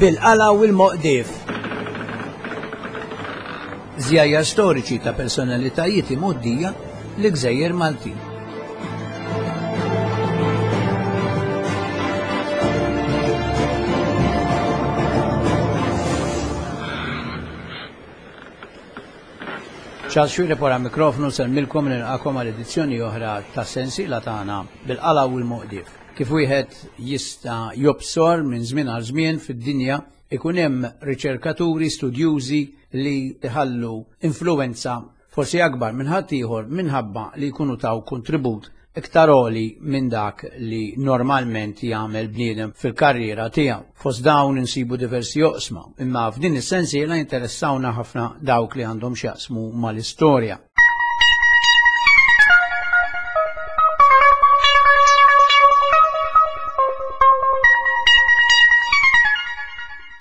Bil-qala u l-moqdif. Żjajjar storiċi ta' personalitajiet imgħoddija li gżejjer Maltin. Charles Xuereb wara mikrofnu nsellmilkom nilqakom għal edizzjoni oħra ta' sensiela tagħna bil-qala u l-moqdif. Kif wieħed jista' jobsor minn żmien għal żmien fid-dinja ikun hemm riċerkaturi studjużi li jħallu influwenza forsi akbar minn ħaddieħor minħabba li jkunu taw kontribut iktar għoli minn dak li normalment jagħmel bniedem fil-karriera tiegħu. Fost dawn insibu diversi oqsma, imma f'din is-sensiela jinteressawna ħafna dawk li għandhom x'jaqsmu mal-istorja.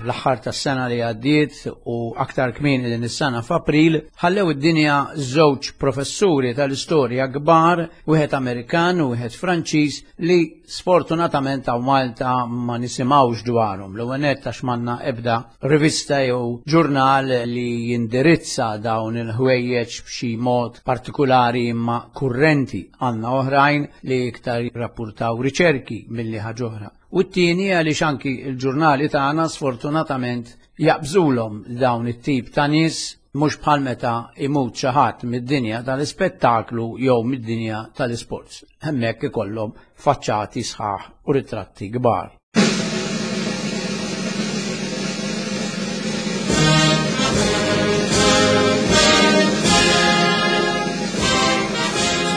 L-aħħar tas-sena li għaddiet u aktar kmieni din is-sena f'April ħallew id-dinja żewġ professuri tal-istorja kbar, wieħed Amerikan u wieħed Franċiż li sfortunatament hawn Malta ma nisimgħux dwarhom. L-ewwel nett għax m'għandna ebda rivista jew ġurnal li jindirizza dawn il-ħwejjeġ b'xi mod partikulari imma kurrenti. Għandna oħrajn li iktar jirrappurtaw riċerki milli ħaġa oħra. U t-tieni għaliex anki l-ġurnali tagħna sfortunatament jaqbżulhom dawn it-tip ta' nies mhux bħal meta imut xi ħadd mid-dinja tal-ispettaklu jew mid-dinja tal-isports. Hemmhekk ikollhom faċċati sħaħ u ritratti kbar.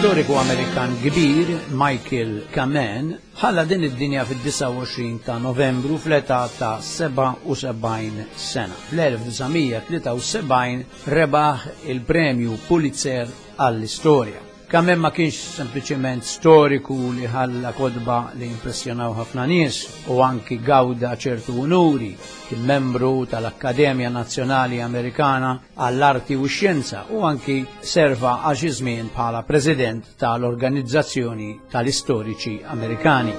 Storiku Amerikan kbir, Michael Kamen, Ħalla din id-dinja fid-29 ta' Novembru fl-età ta' 77 sena. Fl-1973 rebaħ il-Premju Pulitzer għall-Istorja. Kamen ma kienx sempliċement storiku li ħalla kotba li impressjonaw ħafna nies u anki gawda ċertu unuri, kien membru tal-Akkademja Nazzjonali Amerikana għall-Arti u x-Xjenza u anki serva għal xi żmien bħala President tal-Organizzazzjoni tal-Istoriċi Amerikani.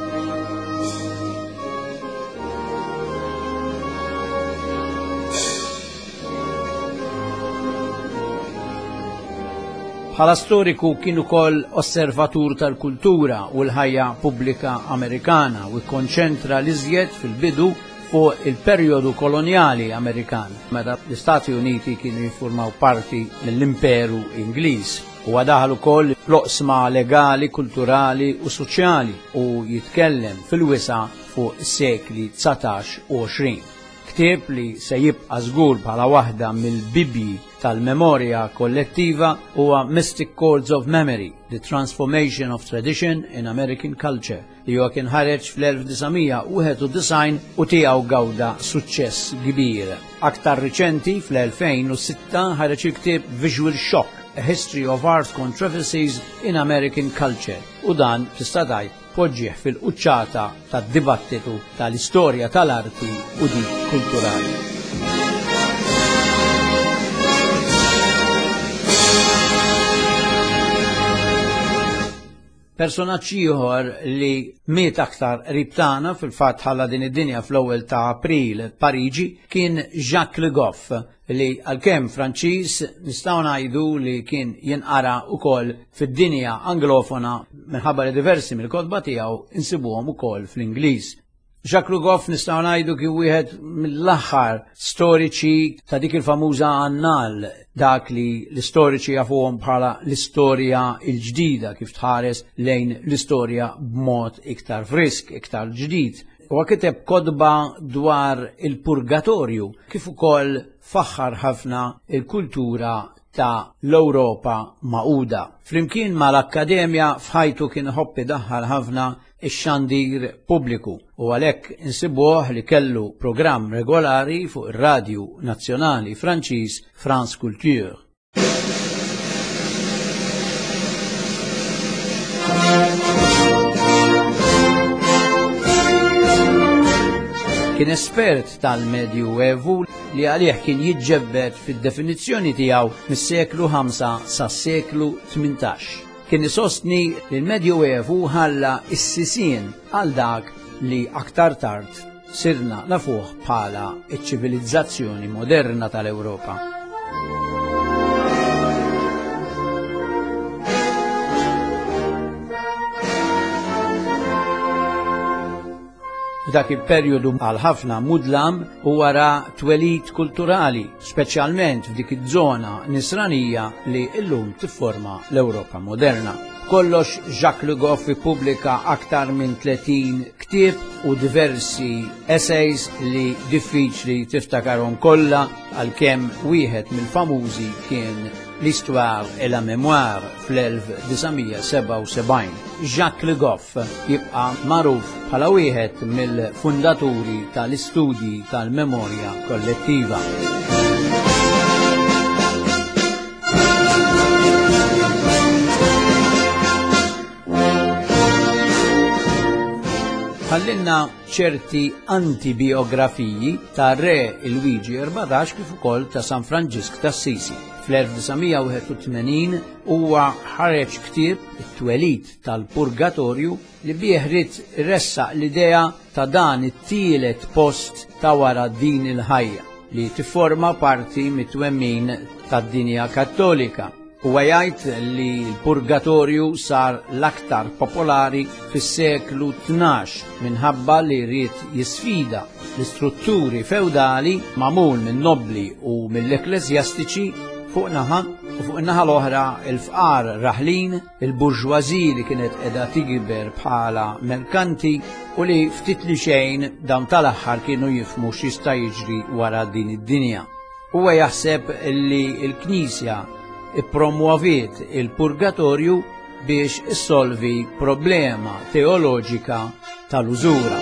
Bħala storiku kien ukoll osservatur tal-kultura u l-ħajja pubblika Amerikana u kkonċentra l-iżjed fil-bidu fuq il-perjodu kolonjali Amerikan, meta l-Istati Uniti kienu jiffurmaw parti mill-Imperu Ingliż. Huwa daħal ukoll fl-oqsma legali, kulturali u soċjali u jitkellem fil-wisa' fuq is-sekli 19 u 20. Ktieb li se jibqa' żgur bħala waħda mill-bibbji tal-memorja kollettiva huwa Mystic Chords of Memory, The Transformation of Tradition in American Culture li huwa kien ħareġ fl-1991 u tiegħu gawda suċċess kbir. Aktar riċenti fl-2006 ħareġ il-ktieb Visual Shock, A History of Art Controversies in American Culture u dan tista' tgħid poġġih fil-quċċata tad-dibattitu tal-istorja tal-arti u dik kulturali. Personaġġ ieħor li miet aktar qrib tagħna fil-fatt ħalla din id-dinja fl-ewwel ta' April Pariġi kien Jacques Le Goff li għalkemm Franċiż nistgħu ngħidu li kien jinqara wkoll fid-dinja Anglofona minħabba li diversi mill-kotba tiegħu insibuhom ukoll fl-Ingliż. Jacques Le Goff nistgħu ngħidu kien wieħed mill-aħħar storiċi ta' dik il-famuża annal, dak li l-istoriċi jafuhom bħala l-istorja l-ġdida kif tħares lejn l-istorja b'mod iktar frisk, iktar ġdid. Huwa kiteb kotba dwar il-purgatorju kif ukoll faħħar ħafna il-kultura ta' l-Ewropa Magħquda. Flimkien mal-akkademja f'ħajtu kien iħobb idaħħal ħafna ix-xandir pubbliku u għalhekk insibuh li kellu programm regolari fuq ir-radju nazzjonali Franċiż France Culture. Kien espert tal-Medju Evu li għalih kien jiġġebbed fid-definizzjoni tiegħu mis-seklu 5 sas-seklu 18. Kien isostni li l-Medju Evu ħalla s-sisien għal dak li aktar tard sirna nafuh bħala ċ-ċivilizzazzjoni moderna tal-Ewropa. F'dak il-perjodu għal ħafna mudlam u wara twelid kulturali, speċjalment f'dik iż-żona nisranija li llum tifforma l-Ewropa moderna. Kollox Jacques Le Goff ippubblika aktar minn 30 ktieb u diversi essays li diffiċli tiftakarhom kollha għalkemm wieħed mill-famużi kien L'Histoire et la Mémoire fl-1977. Jacques Le Goff jibqa' magħruf bħala wieħed mill-fundaturi tal-istudji tal-memorja kollettiva. Ħallinna ċerti antibiografiji ta' Re Luigi 14 kif ukoll ta' San Franġisk t'Assisi. Fl-1981 huwa ħareġ ktieb it-twelid tal-purgatorju li bih ried iressaq l-idea ta' dan it-tielet post ta' wara din il-ħajja li tifforma parti mit-twemmin tad-dinja Kattolika. Huwa jgħid li l-purgatorju sar l-aktar popolari fis-seklu 12 minħabba li ried jisfida l-istrutturi feudali magħmul minn nobbli u mill-ekkleżjastiċi fuq naħa u fuq in-naħa l-oħra il-fqar raħlin, il-burġważi li kienet qiegħda tikber bħala merkanti u li ftit li xejn dawn tal-aħħar kienu jifhmu x'jista' jiġri wara din id-dinja. Huwa jaħseb li l-Knisja ippromwoviet il-purgatorju biex issolvi problema teoloġika tal-użura.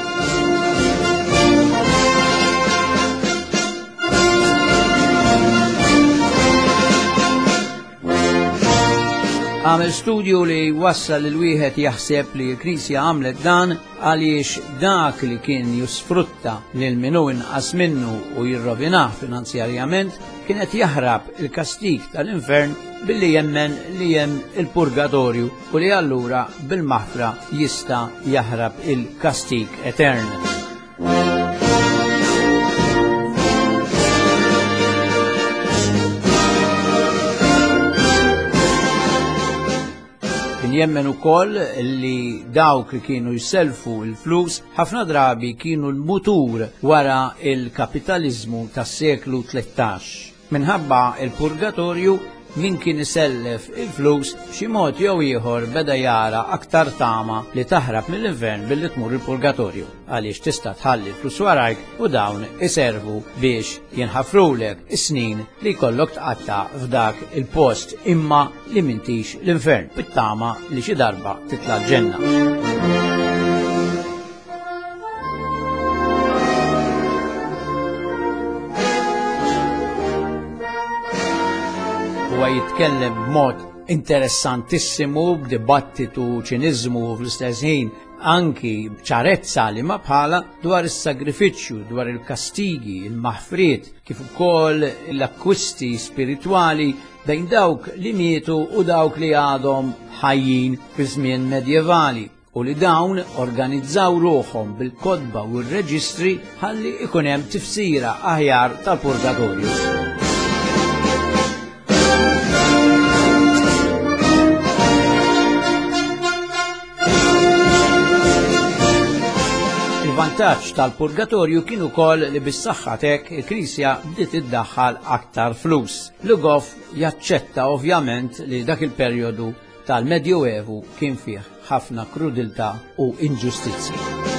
Għamel studju li wassal lil wieħed jaħseb li l-Knisja għamlet dan għaliex dak li kien jisfrutta lil min hu inqas minnu u jirrovinah finanzjarjament kien qed jaħrab il-kastig tal-infern billi jemmen li hemm il-purgatorju u li allura bil-maħfra jista' jaħrab il-kastig etern. Kien jemmen ukoll li dawk li kienu jselfu l-flus ħafna drabi kienu l-mutur wara il-kapitaliżmu tas-seklu 13. Minħabba il-purgatorju min kien isellef il-flus b'xi mod jew ieħor beda jara aktar tama li taħrab mill-infern billi tmur il-purgatorju għaliex tista' tħalli l-flus warajk u dawn iservu biex jinħafrulek is-snin li jkollok tqatta' f'dak il-post imma li m'intix l-infern bit-tama li xi darba titla' l-ġenna. Huwa jitkellem b'mod interessantissimu b'dibattitu ċiniżmu fl-istess ħin anki ċarezza li ma bħala dwar is-sagrifiċċju, dwar il-kastigi, il-maħfriet, kif ukoll l-akkwisti spiritwali bejn dawk li mietu u dawk li għadhom ħajjin fi żmien medjevali u li dawn organizzaw ruħhom bil-kotba u r-reġistri ħalli ikun hemm tifsira aħjar tal-purgatorju. Il-vantaġġ tal-purgatorju kien ukoll li bis-saħħa t'hekk il-Knisja bdiet iddaħħal aktar flus. Le Goff jaċċetta ovvjament li dak il-perjodu tal-Medjuevu kien fih ħafna krudiltà u inġustizzji.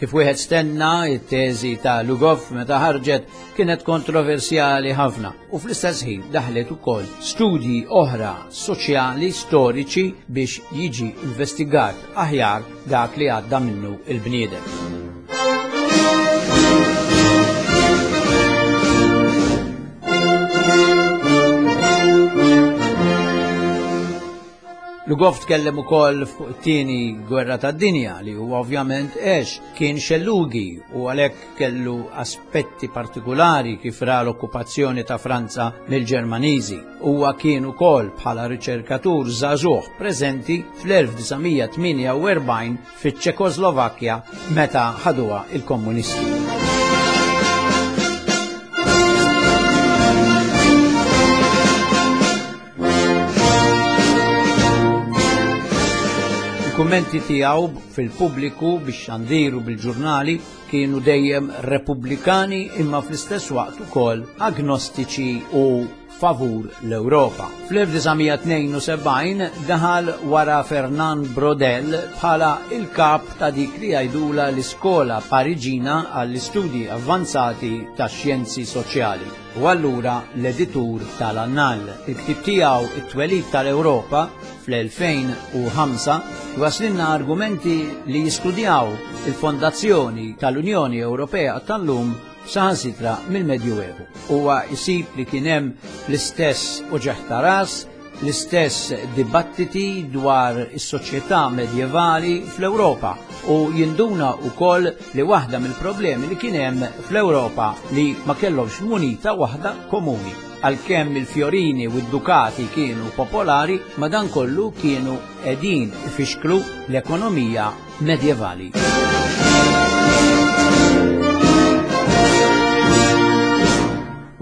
Kif wieħed stenna, it-teżi ta' Lugov meta ħarġet kienet kontroversjali ħafna u fl-istess ħin daħlet ukoll studji oħra soċjali storiċi biex jiġi investigat aħjar dak li għadda minnu il-bniedem. Le Goff tkellem ukoll fuq it-tieni gwerra tad-dinja li huwa ovvjament għex kien xellugi u għalhekk kellu aspetti partikulari kif ra l-okkupazzjoni ta' Franza mill-Ġermaniżi. Huwa kien ukoll bħala riċerkatur żagħżugħ preżenti fl-1948 fiċ-Ċekoslovakkja meta ħaduha il-Kommunisti. Il-kummenti tiegħu fil-pubbliku bix-xandir u bil-ġurnali kienu dejjem repubblikani imma fl-istess waqt ukoll agnostiċi u favur l-Ewropa. Fl-1972 daħal wara Fernand Braudel bħala il-kap ta' dik li jgħidula l-Iskola Pariġina għall-Istudji Avvanzati tax-Xjenzi Soċjali u allura l-editur tal-Annal. Il-ktieb tiegħu It-Twelid tal-Ewropa fl-2005 jwasslilna argumenti li jistudjaw il-fondazzjoni tal-Unjoni Ewropea tal-lum saħansitra mill-Medjuevu. Huwa jsib li kien hemm l-istess uġigħ ta' ras, l-istess dibattiti dwar is-soċjetà medjevali fl-Ewropa u jinduna wkoll li waħda mill-problemi li kien hemm fl-Ewropa li ma kellhomx munita waħda komuni. Għalkemm il-fjorini u d-dukati kienu popolari, madankollu kienu qegħdin ifixklu l-ekonomija medjevali.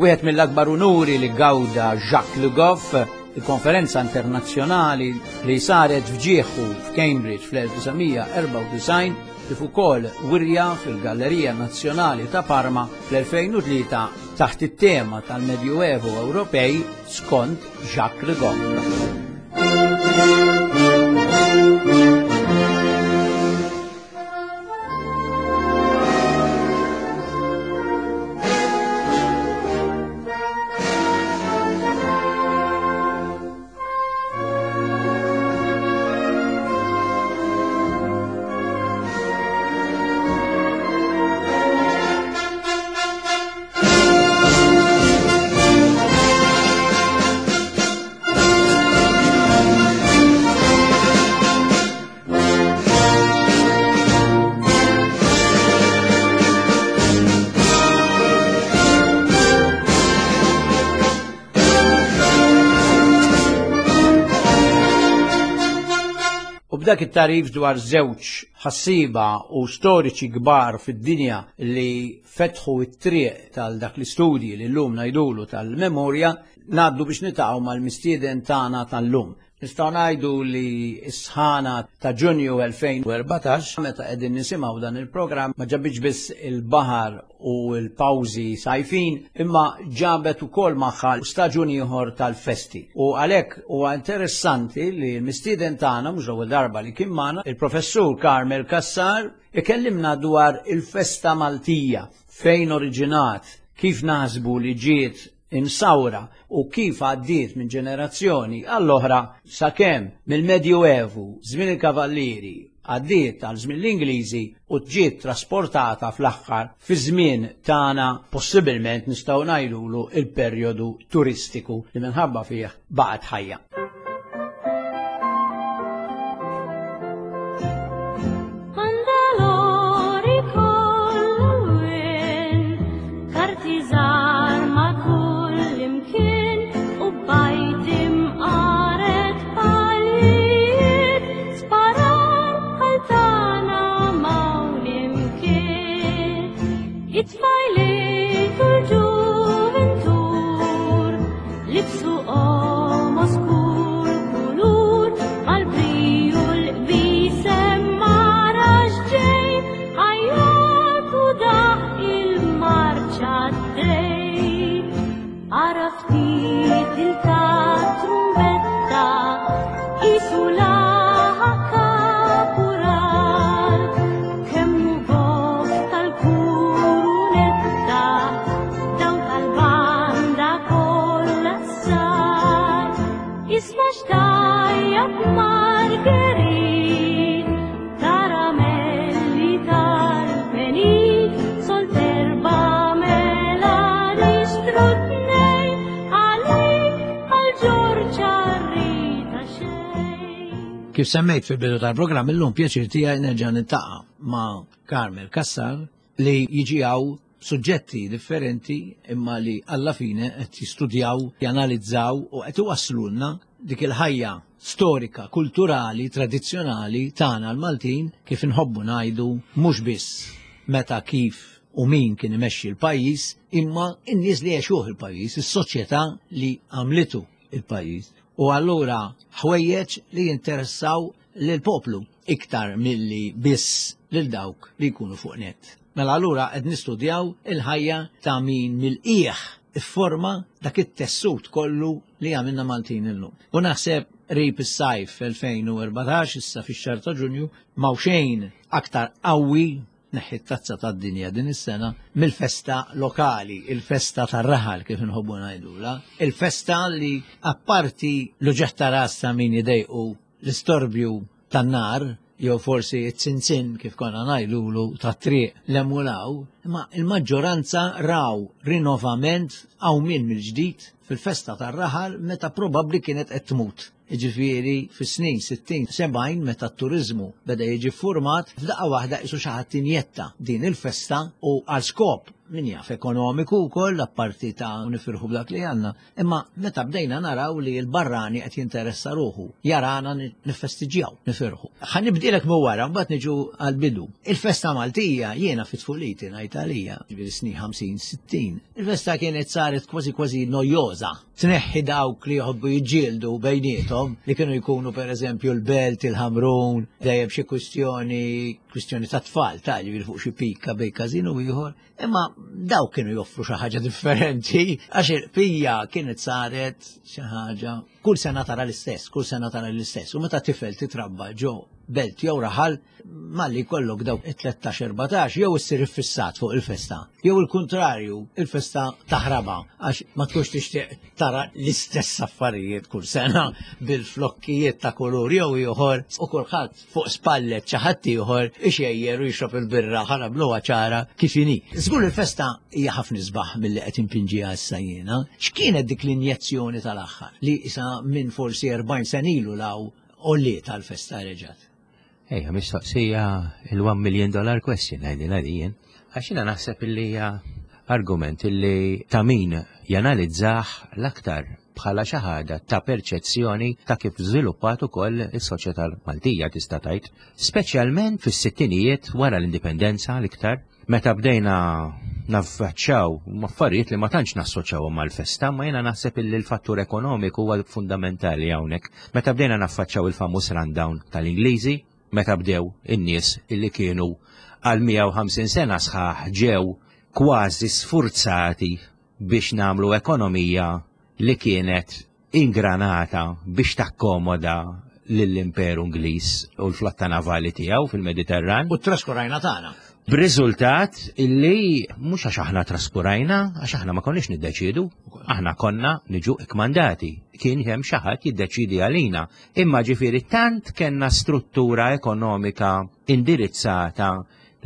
Wieħed mill-akbar unuri li gawda Jacques Le Goff, il-konferenza internazzjonali li saret f'ġieħu f'Cambridge fl-1994 kif ukoll wirja fil-Gallerija Nazzjonali ta' Parma fl-2003 taħt it-tema tal-Medjuevu Ewropej skont Jacques Le Goff. U b'dak it-tarif dwar żewġ ħassiba u storiċi kbar fid-dinja li fetħu t-triq tal dak l-istudji li llum ngħidulu tal-memorja, ngħaddu biex nitaqgħu mal-mistieden tagħna tal-lum. Nistgħu ngħidu li s-sħana ta' Ġunju 2014 meta qegħdin nisimgħu dan il-programm ma ġabitx biss il-baħar u l-pawżi sajfin imma ġabet ukoll magħha staġun ieħor tal-festi. U għalhekk huwa interessanti li l-mistieden tagħna mhux l-ewwel darba li kien magħna, il-Professur Carmel Cassar, ikellimna dwar il-festa Maltija, fejn oriġinat, kif naħsbu li ġiet imsawra u kif għaddiet minn ġenerazzjoni għall-oħra sakemm mill-Medjuevu, żmien il-Kavallieri, għaddiet għal żmien l-Ingliżi u ġiet trasportata fl-aħħar fi żmien tagħna possibilment nistgħu ngħidulu il-perjodu turistiku li minħabba fih baqgħet ħajja. Kif semmejt fil-bidu tal-programm illum pjaċir tiegħi nerġa' niltaqa' ma' Carmel Cassar li jiġi hawn suġġetti differenti imma li alla fine qed jistudjaw, janalizzaw u qed iwasslulna dik il-ħajja storika, kulturali, tradizzjonali tagħna l-Maltin kif inħobbu ngħidu mhux biss meta kif u min kien imexxi l-pajjiż imma n-nies li għexuh il-pajjiż, is-soċjetà li għamlitu il-pajjiż. U allura ħwejjeġ li jinteressaw lill-poplu iktar milli biss lil dawk li jkunu fuq net. Mela allura qed nistudjaw il-ħajja ta' min mill-qiegħ ifforma dak it-tessut kollu li għamilna Maltin illum. U naħseb qrib is-sajf 2014 issa fix-xahar ta' Ġunju m'hawn xejn aktar qawwi neħħi t-tazza tad-dinja din is-sena mill-festa lokali, il-festa tar-raħal kif inħobbu ngħidula, il-festa li apparti l-uġeħ ta' ras ta' min idejqu l-istorbju tan-nar jew forsi t-tsinsin kif konna ngħidulu tat-triq l-emulaw, imma il-maġġoranza raw rinnovament qawmien mill-ġdid fil-festa tar-raħal meta probabbli kienet qed tmut. Jiġifieri fis-snin 60, 70 meta t-turiżmu beda jiġi ffurmat, f'daqqa waħda qisu xi ħadd injetta din il-festa u għal skop min jaf ekonomiku wkoll apparti ta' nifirħu b'dak li għandna. Imma meta bdejna naraw li l-barrani qed jinteressa ruħu, jarana nifestiġjaw, nifirħu. Ħa nibdilek minn wara, mbagħad niġu għall-bidu. Il-festa Maltija jiena fi tfuliti ngħid għalija, ġifieri snin 50, 60. Il-festa kienet saret kważi kważi nojoża. Tneħħi dawk li jħobbu jiġġieldu bejniethom li kienu jkunu pereżempju l-Belt, il-Ħamrun, dejjem xi kwistjoni, kwistjoni ta' tfal, ta' ġifieri fuq xi pika bejn każin u ieħor. Imma dawk kienu joffru xi ħaġa differenti għax il-qpija kienet saret xi ħaġa kull sena tara l-istess, kull sena tara l-istess. U meta tifel titrabba ġo belt jew raħal malli jkollok dawk it-13-14 jew issir iffissat fuq il-festa, jew il-kuntrarju, il-festa taħraba għax ma tkunx tixtieq tara l-istess affarijiet kull sena bil-flokkijiet ta' kulur jew ieħor u kulħadd fuq spallet xi ħadd ieħor ixejjer u jixrob il-birra ħa nagħmluha ċara kif inhi. Żgur il-festa hija ħafna isbaħ milli qed inpinġiha issa jiena. X'kienet dik l-injezzjoni tal-aħħar li isa minn forsi 40 sena ilu law għolliet għall-festa reġgħet? Ejja, mistoqsija il-1 million dollar question ngħidilha di jien. Għax jiena naħseb illi hija argument illi ta' min janalizzah l-aktar bħala xi ħaġa ta' perċezzjoni ta' kif żviluppat ukoll is-soċjetà Maltija tista' tgħid. Speċjalment fis-sittinijiet wara l-indipendenza l-iktar, meta bdejna naffaċċaw affarijiet li ma tantx nassoċjawhom mal-festa, ma jiena naħseb illi l-fattur ekonomiku huwa fundamentali hawnhekk. Meta bdejna naffaċċaw il-famuż rundown tal-Ingliżi, meta bdew in-nies illi kienu għal 150 sena sħaħ ġew kważi sfurzati biex nagħmlu ekonomija li kienet ingranata biex takkomoda lill-Imperu Ingliż u l-flotta navali tiegħu fil-Mediterran. U traskurajna tagħna. B'riżultat illi mhux għax aħna traskurajna, għax aħna ma konniex niddeċiedu, aħna konna niġu ikkmandati. Kien hemm xi ħadd jiddeċiedi għalina. Imma ġifieri tant kellna struttura ekonomika indirizzata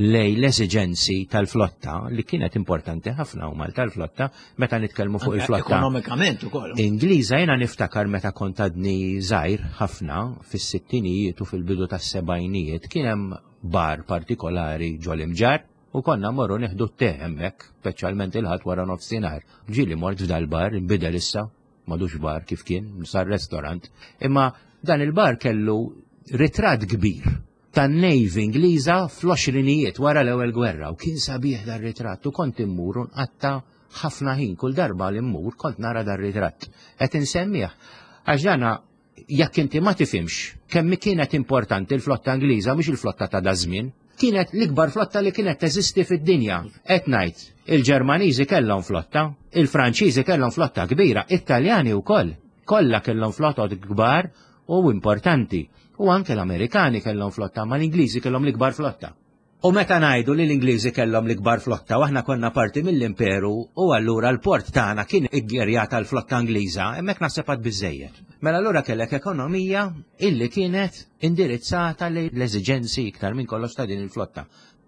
lej l-eżiġenzi tal-flotta li kienet importanti ħafna u Malta l-flotta meta nitkellmu fuq il-flotta. Ekonomikament ukoll. Ingliża jiena niftakar meta kont għadni żgħir ħafna fis-sittinijiet u fil-bidu tas-sebgħinijiet kien hemm bar partikolari ġol imġar u konna morru nieħdu t-te hemmhekk, speċjalment il-ħadd wara nofsinhar. Ġieli mort f'dal-bar, inbidel issa, m'għadux bar kif kien, sar restaurant, imma dan il-bar kellu ritratt kbir tan-Navy Ingliża fl-għoxrinijiet wara l-Ewwel Gwerra u kien sabiħ dar-ritratt u kont immur u nqatta' ħafna ħin kull darba li mmur kont nara dar-ritratt. Qed insemmih għax dana jekk inti ma tifhimx kemm kienet importanti l-flotta Ingliża mhux il-flotta ta' daż-żmien, kienet l-ikbar flotta li kienet teżisti fid-dinja. Qed ngħid, il-Ġermaniżi kellhom flotta, il-Franċiżi kellhom flotta kbira, it-Taljani wkoll. Kollha kellhom flotot kbar u importanti. U anke l-Amerikani kellhom flotta, ma l-Ingliżi kellhom l-ikbar flotta. U meta ngħidu li l-Ingliżi kellhom l-ikbar flotta u aħna konna parti mill-imperu u allura l-port tagħna kien iggjerjat għall-flotta Ingliża, hemmhekk naħseb għad biżejjed. Mela allura kellek ekonomija illi kienet indirizzata lejn l-eżiġenzi iktar minn kollox ta' din il-flotta.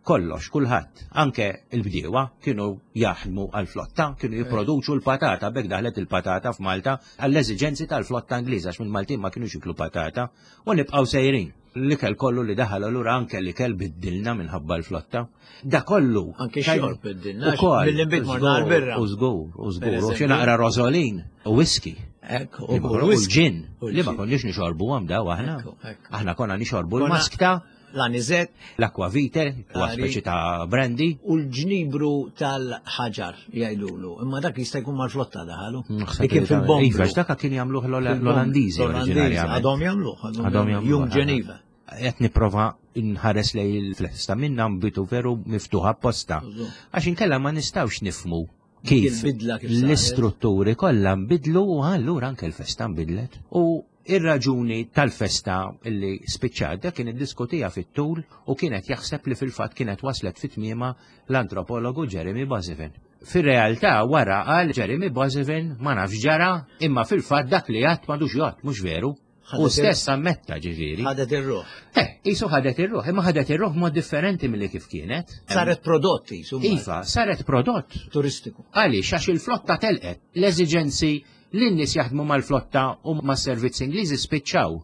Kollox, kulħadd, anke l-bdiewa kienu jaħdmu għall-flotta, kienu jipproduċu l-patata, b'hekk daħlet il-patata f'Malta għall-eżiġenzi tal-flotta Ingliża għax mill-Maltin ma kinux jiklu patata u nibqgħu sejrin. L-ikel kollu li daħal allura anke l-ikel biddilna minħabba l-flotta. Da kollu. Anke xorb biddilna. Mill-inbid morna għall-birra. U żgur, u żgur. U xi naqra rożolin u whisky. Ekk, u l-ġin. Li ma konniex nixorbu għam daw aħna. Aħna konna nixorbu l-maskta. L-anizet. L-aquavite, huwa speċi ta' brandy. U l-ġnibru tal-ħaġar jgħidulu. Imma dak jista' jkun mal-flotta daħalu. Li kien fil-bomb. Iva, dak kien jagħmluh l-Olandiżi oriġinarjament. Għadhom jagħmluh. Għadhom jagħmluh. Jum Ġeniva. Qed nipprova nħares lej il-flesta minna mbitu veru miftuħa apposta. Għax inkella ma nistgħux nifmu kif l-istrutturi kollha nbidlu u allura anke l-festa nbidlet. U Ir-raġuni tal-festa li spiċċat dak kien iddiskutiha fit-tul u kien qed jaħseb li fil-fatt kienet waslet fi tmiemha l-antropologu Jeremy Boissevain. Fir-realtà wara qal Jeremy Boissevain ma nafx ġara imma fil-fatt dak li għadt m'għadux jgħodd mhux veru. U stess ammetta ġifieri. Ħadet ir-ruħ. Eh, qisu ħadet ir-ruħ, imma ħadet ir-ruħ mod differenti milli kif kienet. Saret prodott qisu. Iva, saret prodott. Turistiku. Għaliex għax il-flotta telqet. L-eżiġenzi li n-nies jaħdmu mal-flotta u mas-servizz Ingliżi spiċċaw.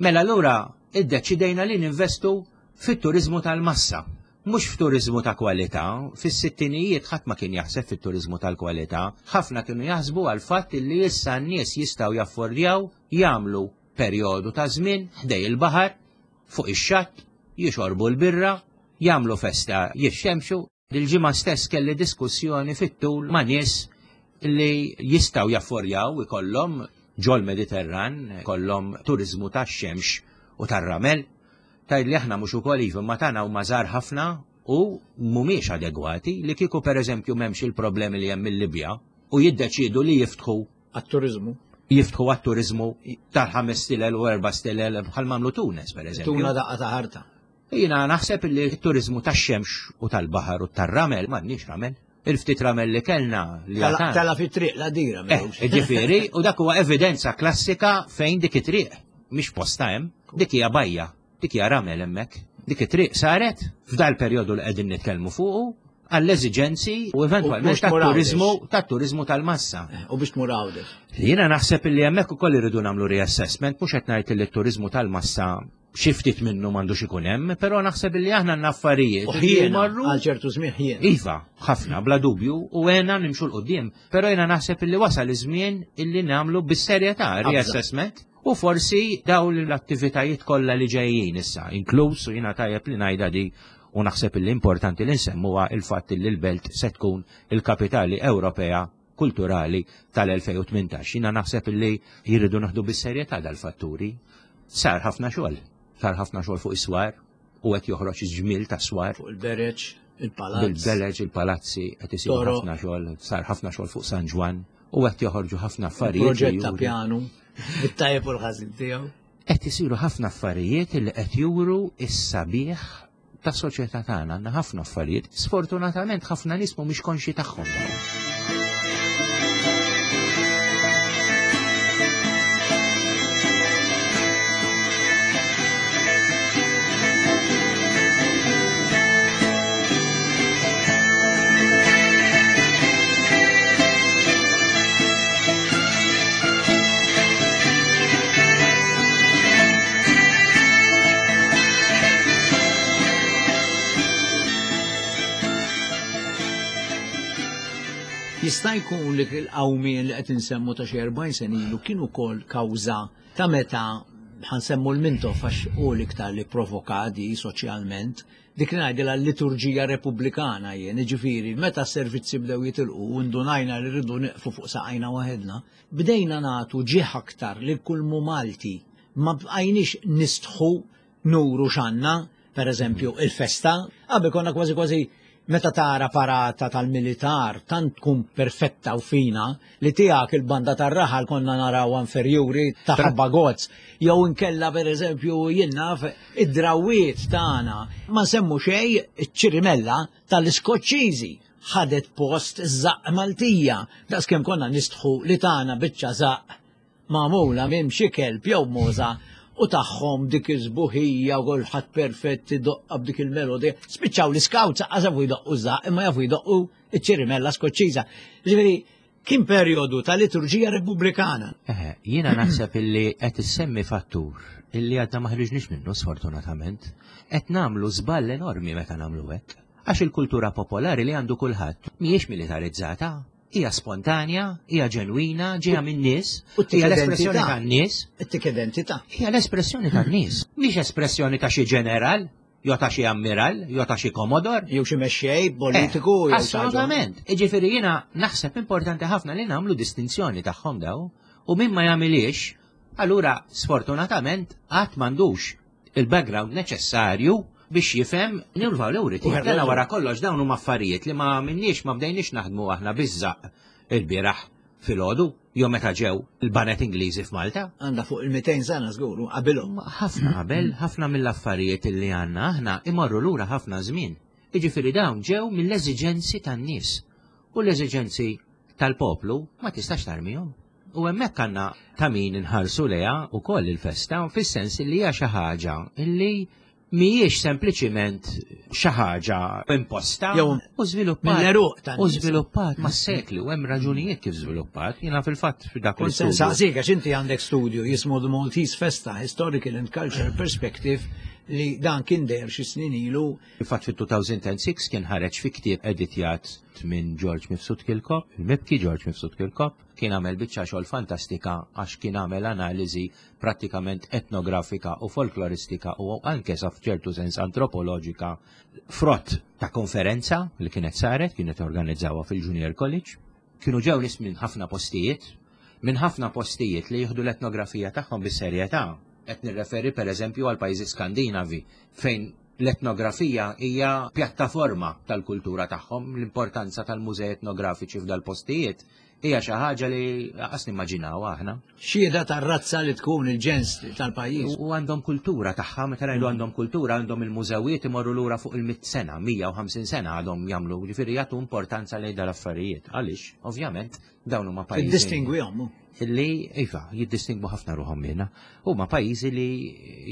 Mela allura iddeċidejna li ninvestu fit-turiżmu tal-massa. Mhux f'turiżmu ta' kwalità, fis-sittinijiet ħadd ma kien jaħseb fit-turiżmu tal-kwalità, ħafna kienu jaħsbu għall-fatt li issa n-nies jistgħu jaffordjaw jagħmlu perjodu ta' żmien ħdej il-baħar, fuq ix-xatt, jixorbu l-birra, jagħmlu festa jixxemxu. Dil-ġimgħa stess kelli diskussjoni fit-tul ma' nies li jistgħu jafforjaw ikollhom ġol-Mediterran, ikollhom turiżmu tax-xemx u tar-ramel. Tgħidli aħna mhux ukoll iva, imma tagħna huma żgħar ħafna u mhumiex adegwati li kieku pereżempju m'hemmx il-problemi li hemm il-Libja u jiddeċiedu li jiftħu għat-turiżmu. Jiftħu għat-turiżmu tal-ħames stilel u erba' stilel bħal m'għamlu Tunes pereżempju. Tuna daqqa ta' ħarta. Jiena naħseb li t-turiżmu tax-xemx u tal-baħar u tar-ramel m'għandniex ramel. Il-ftit ramel li kellna li Tala fit-triq la dira. Eh, ġifieri, u dak huwa evidenza klassika fejn dik it-triq mhix posta hemm, dik hija bajja, dik hija ramel hemmhekk. Dik it-triq saret f'dal perjodu li qegħdin nitkellmu fuqu għall-eżiġenzi u eventwalment tat-turiżmu tat-turiżmu tal-massa. Eh, u biex tmur Għawdex. Jiena naħseb li hemmhekk ukoll irridu nagħmlu reassessment mhux qed ngħid li t-turiżmu tal-massa xi ftit minnu m'għandux ikun hemm, però naħseb li aħna għandna affarijiet. U ħjiena, għal ċertu żmien ħjiena. Iva, ħafna, bla dubju, u għena nimxu l-qudiem, però jiena naħseb li wasal iż-żmien illi nagħmlu bis-serjetà reassessment u forsi dawn l-attivitajiet kollha li ġejjin issa, inkluż u jiena tajjeb li ngħidha di u naħseb li importanti li nsemmuha il-fatt li l-belt se tkun il-kapitali Ewropea kulturali tal-2018. Jiena naħseb li jridu naħdu bis-serjetà dal-fatturi. Sar ħafna xogħol, sar ħafna xogħol fuq is-swar u qed joħroġ iż-ġmiel tas-swar. Fuq il-bereġ, il-palazz. Bil-bereġ, il-palazzi qed isir ħafna xogħol, sar ħafna xogħol fuq San Ġwann u qed joħorġu ħafna affarijiet. Proġett ta' pjanu, bit-tajjeb u l-ħażin tiegħu. Qed isiru ħafna affarijiet li qed juru s-sabiħ tas-soċjetà tagħna għandna ħafna affarijiet. Sfortunatament ħafna nies mhumiex konxji tagħhom dawn. Jista' jkun li l-qawmien li qed insemmu ta' xi 40 sena ilu kien ukoll kawża ta' meta ħansemmu l-Mintoff għax hu l-iktar li provoka di soċjalment, dik li ngħidilha l-liturġija repubblikana jien, jiġifieri meta s-servizzi bdew jitilqu u ndunajna li rridu nieqfu fuq saqajna waħedna, bdejna nagħtu ġieħ aktar lil kull mhu Malti. Ma bqajniex nistħu nuru x'għandna, per eżempju, il-festa. Qabel konna kważi kważi meta tara parata tal-militar tant tkun perfetta u fina li tiegħek il-banda tar-raħal konna narawha inferjuri ta' ħabba gozz. Jew inkella per eżempju jien naf id-drawwiet tagħna. Ma nsemmu xejn iċ-ċirimella tal-Iskoċċiżi ħadet post iż-żaqq Maltija, daqskemm konna nistħu li tagħna biċċa żaqq magħmula minn xi kelb jew mogħża U tagħhom dik iż-żbuħija u kulħadd perfett idoqqa b'dik il-melodija. Spiċċaw l-iskawt saqqas jafu jdoqqu żaq imma jafu jdoqqu iċ-ċirimella skoċċiża. Ġifieri kien perjodu ta' liturġija repubblikana. Eħe, jiena naħseb illi qed issemmi fattur illi għadna ma ħriġniex minnu sfortunatament. Qed nagħmlu żball enormi meta nagħmlu hekk. Għax il-kultura popolari li għandu kulħadd mhijiex militarizzata, hija spontanja, hija ġenwina, ġejja min-nies, hija l-espressjoni tan-nies. Ittik identità. Hija l-espressjoni tan-nies, mhix espressjoni ta' xi ġeneral, jew ta' xi ammiral, jew ta' xi komodor. Jew xi mexxej politiku. Eh, assolutament. Jiġifieri jiena naħseb importanti ħafna li nagħmlu distinzjoni tagħhom daw u min ma jagħmilix, allura sfortunatament qatt m'għandux il-background neċessarju biex jifhem il-valuri tiegħek. Dana wara kollox dawn huma affarijiet li ma minniex ma bdejniex naħdmu aħna biżżaq il-bieraħ filgħodu jew meta ġew il-banet Ingliżi f'Malta. Għandha fuq il-200 sena żgur, qabilhom. Ħafna qabel, ħafna mill-affarijiet li għandna aħna imorru lura ħafna żmien. Jiġifieri dawn ġew mill-eżiġenzi tan-nies. U l-eżiġenzi tal-poplu ma tistax tarmihom. U hemmhekk għandna ta' min inħarsu lejha wkoll il-festa fis-sens li hija xi ħaġa li mhijiex sempliċiment xi ħaġa imposta u żviluppat u żviluppat mas-sekli u hemm raġunijiet kif żviluppat. Jiena fil-fatt f'dak il Saqsik għax inti għandek studju jismu The Maltese Festa Historical and Cultural Perspective li dan kien deher xi snin ilu. Fil-fatt fit-2006 kien ħareġ fi ktieb editjat minn George Mifsud Kirkop, il-mibki George Mifsud Kirkop, kien għamel biċċa xogħol fantastika għax kien għamel analiżi prattikament etnografika u folkloristika u anke sa f'ċertu sens antropoloġika frott ta' konferenza li kienet saret, kienet organizzawha fil-Junior College. Kienu ġew nies minn ħafna postijiet, minn ħafna postijiet li jieħdu l-etnografija tagħhom bis-serjetà. Qed nirreferi pereżempju għal pajjiżi Skandinavi fejn l-etnografija hija pjattaforma tal-kultura tagħhom, l-importanza tal-mużej etnografiċi f'dal-postijiet hija xi ħaġa li qas nimmaġinaw aħna. Xhieda tar-razza li tkun il-ġens tal-pajjiż. U għandhom kultura tagħha, meta ngħidu għandhom kultura, għandhom il-mużewijiet imorru lura fuq il-mitt sena, 150 sena għadhom jagħmlu, ġifieri jagħtu importanza lejn dal-affarijiet. Għaliex, ovvjament, dawn huma pajjiżi. Jiddistingwihom. Li, iva, jiddistingwu ħafna ruħhom minna. Huma pajjiżi li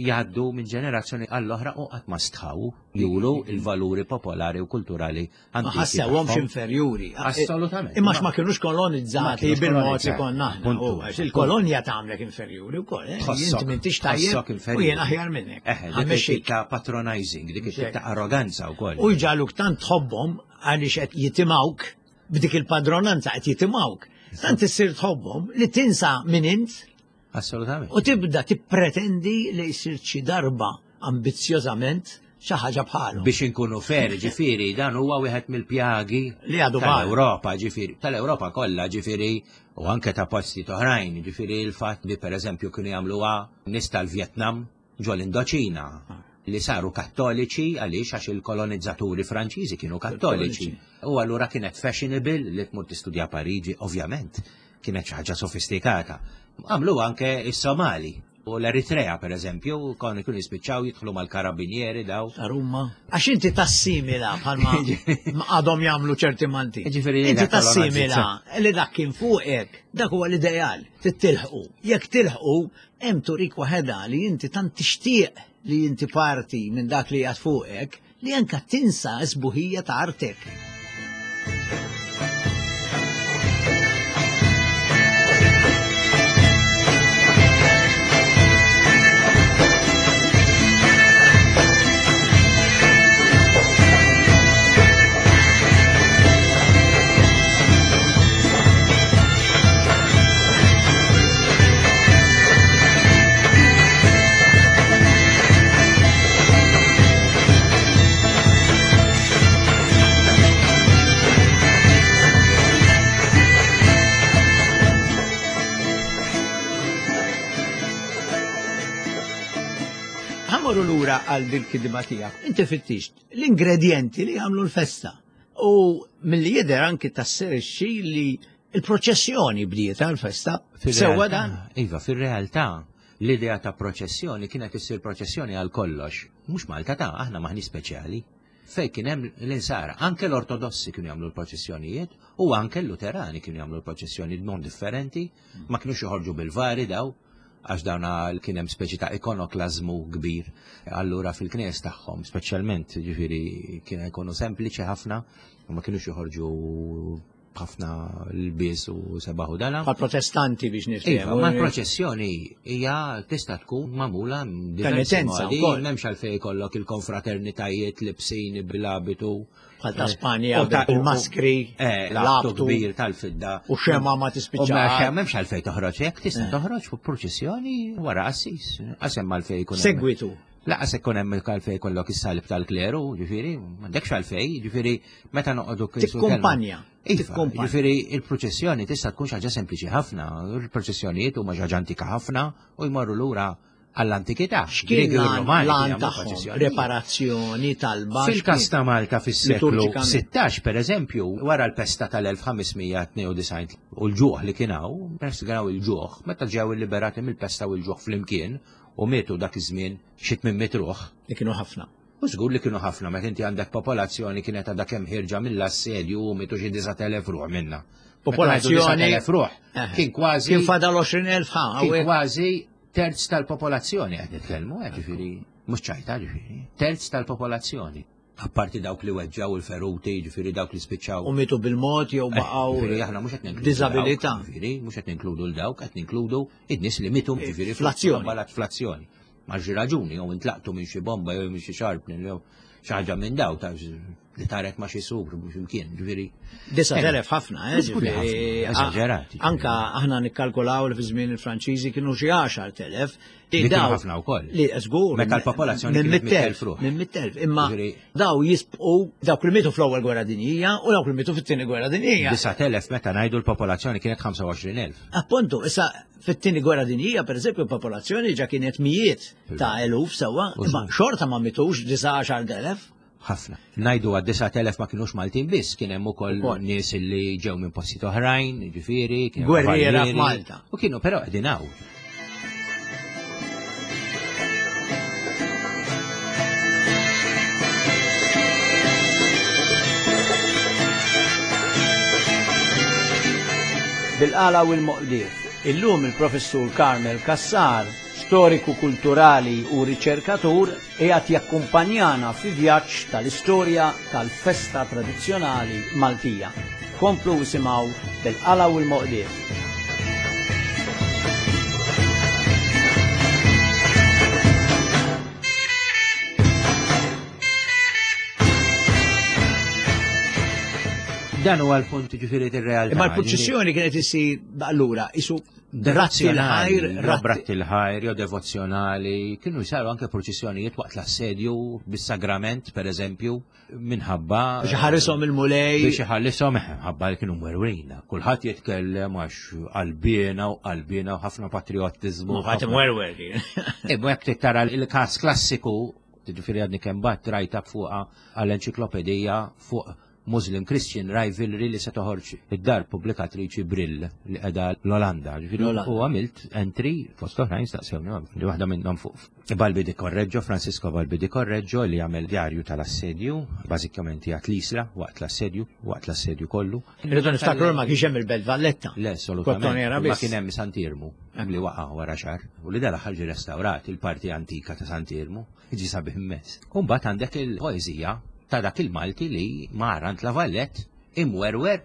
jgħaddu minn ġenerazzjoni għall-oħra u qatt ma stħaw juru il-valuri popolari u kulturali Ma ħassewhomx inferjuri. Assolutament. Imma ma kienux kolonizzati bil-mod li konna aħna. Il-kolonja tagħmlek inferjuri wkoll. Eh? Inti m'intix tajjeb u jien aħjar minnek. Eh, dik ta' patronizing, dik ta' arroganza wkoll. U jġaluk tant tħobbhom għaliex qed jitimgħuk b'dik il-padronanza qed jitimgħuk. Tant issir tħobbhom li tinsa min int. Assolutament. U tibda tippretendi li jsir xi darba ambizzjożament xi ħaġa bħalu. Biex inkunu fair, ġifieri, dan huwa wieħed mill-pjagi li għadu tal-Ewropa, ġifieri, tal-Ewropa kollha, ġifieri, u anke ta' posti oħrajn, ġifieri l-fatt li pereżempju kienu jagħmluha nies tal-Vjetnam ġol Indoċina ah. li saru kattoliċi għaliex għax il-kolonizzaturi Franċiżi kienu kattoliċi. U allura kienet fashionable li tmur tistudja Pariġi, ovvjament kienet xi ħaġa sofistikata. Għamlu anke is-Somali u l-Eritrea per eżempju, kon ikun jispiċċaw jidħlu mal-karabinieri daw. Arumma. Għax inti tassimila bħalma għadhom jagħmlu ċerti Malti. Inti tassimila li dak kien fuqek, dak huwa l-ideal, titilħqu. Jekk tilħqu, hemm turik waħedha li inti tant tixtieq li inti parti minn dak li jgħad fuqek, li anka tinsa s-sbuħija ta' artek. Ħamorru lura għal dil-kidba tiegħek. Inti fittixt l-ingredjenti li jagħmlu l-festa. U milli jidher anki tasserixxi li il-proċessjoni bdiet għal-festa. Sewwa dan? Iva, fir-realtà l-idea ta' proċessjoni kienet issir proċessjoni għal kollox. Mhux Malta ta' aħna maħni speċjali. Fej kien hemm l-insara, anke l-Ortodossi kienu jagħmlu l-proċessjonijiet u anke l-Luterani kienu jagħmlu l-proċessjoni b'mod differenti, ma kinux joħorġu bil-vari daw. għax dawna kien hemm speċi ta' ikonoklażmu kbir. Allura fil-knejjes tagħhom, speċjalment ġifieri kien ikunu sempliċi ħafna u ma kinux joħorġu ħafna l-bies u sebaħu dana. Bħal protestanti biex niftehmu. Iva, ma l-proċessjoni hija tista' tkun magħmula diversi modi, m'hemmx għalfejn jkollok il-konfraternitajiet libsin bil-abitu. Bħal ta' Spanja, il-maskri, eh, l-abtu kbir tal-fidda. U xema ma tispiċċa. M'hemmx għalfejn toħroġ hekk, tista' eh. toħroġ fuq proċessjoni wara qassis. Qasem għalfejn jkun. Segwitu. Laqas ikun hemm għalfejn jkollok is-salib tal-kleru, ġifieri, m'għandekx għalfejn, ġifieri meta noqogħdu Tikkumpanja. Iva, ġifieri il-proċessjoni tista' tkun xi ħaġa sempliċi ħafna, il-proċessjonijiet huma xi ħaġa antika ħafna u jmorru lura għall-antikità. X'kien l-għan tagħhom? Reparazzjoni talba. Fil-każ ta' Malta fis-seklu 16, per eżempju, wara l-pesta tal-1592 u l-ġuħ li kien hawn, peress li kien hawn il-ġuħ, meta ġew illiberati mill-pesta u l-ġuħ flimkien u mietu dak iż-żmien xi 800 ruħ. Li kienu ħafna. U żgur li kienu ħafna meta inti għandek popolazzjoni kienet għadha kemm ħirġa mill-assedju u mietu xi 9,000 ruħ minna. Popolazzjoni. ruħ. Eh. Kien kważi. Kien fadal 20,000 ħa. Kien kważi terz tal-popolazzjoni qed nitkellmu, eh, ġifieri mhux ċajta ġifieri. Terz tal-popolazzjoni. Apparti dawk li weġġaw il-feruti, ġifieri dawk li spiċċaw. U mietu bil-mod jew eh, baqgħu. Ġifieri aħna mhux qed ninkludu. Diżabilità. Ġifieri mhux qed ninkludu l dawk, qed ninkludu id-nies li mietu ġifieri fl-azzjoni. Fl-azzjoni. Ma xi raġuni jew intlaqtu minn xi bomba jew minn xi sharpnel jew xi ħaġa minn daw ta' li taret ma xi sur mhux imkien, ġifieri. 9000 ħafna, eh, ġifieri. Eżaġerati. Anka aħna nikkalkulaw li fi żmien il-Franċiżi kienu xi 10,000. Li daw ħafna wkoll. Li żgur. Meta l-popolazzjoni minn 100,000 ruħ. Minn 100,000. Imma daw jisbqu dawk li mietu fl-ewwel gwerra dinjija u dawk li mietu fit-tieni gwerra dinjija. 9,000 meta ngħidu l-popolazzjoni kienet 25,000. Appuntu, issa Fit-tieni gwerra dinjija, per eżempju, popolazzjoni ġa kienet mijiet ta' eluf sewwa, imma xorta ma mitux 19,000. Ħafna. Najdu għad 9,000 ma kienux Maltin biss, kien hemm ukoll nies li ġew minn postijiet oħrajn, ġifieri, gwerriera f'Malta. U kienu però qegħdin hawn. Bil-qala u l-moqdief. Illum il-Professur Carmel Cassar, storiku kulturali u riċerkatur, qiegħed jakkumpanjana fi vjaġġ tal-istorja tal-festa tradizzjonali Maltija. Komplu isimgħu Bil-qala u l-moqdief. Dan huwa l-punt ġifieri ir-realtà. Imma l-purċissjoni kienet issir allura isu ratti l-ħajr, ratti l-ħajr, jew devozzjonali, kienu jsaru anke purċissjonijiet waqt l-assedju bis-sagrament, per eżempju, minħabba. Biex iħarishom il-Mulej. Biex iħarishom minħabba li kienu mwerwrin. Kulħadd jitkellem għax qalbiena u qalbiena u ħafna patriottiżmu. Ħadd imwerwer kien. Imma jekk tara l-każ klassiku, ġifieri għadni kemm bat rajta fuqha għall-enċiklopedija fuq Muslim Christian Rivalry li se toħorġ id-dar pubblikatriċi Brill li qiegħda l-Olanda. U għamilt entry fost oħrajn staqsewni li waħda minnhom fuq Balbi di Correggio, Francisco Balbi di Correggio li għamel djarju tal-assedju, bażikament jgħat l-isla waqt l-assedju, waqt l-assedju kollu. Irridu niftakru ma kienx hemm il-Belt Valletta. Le, assolutament. Ma kien hemm Sant'Irmu li waqa' wara xahar u li dal-aħħar ġie restawrat il-parti antika ta' Sant'Irmu. Jiġi sabiħ immens. U mbagħad għandek il-poeżija ta' dak il-Malti li mar għand La Valette imwerwer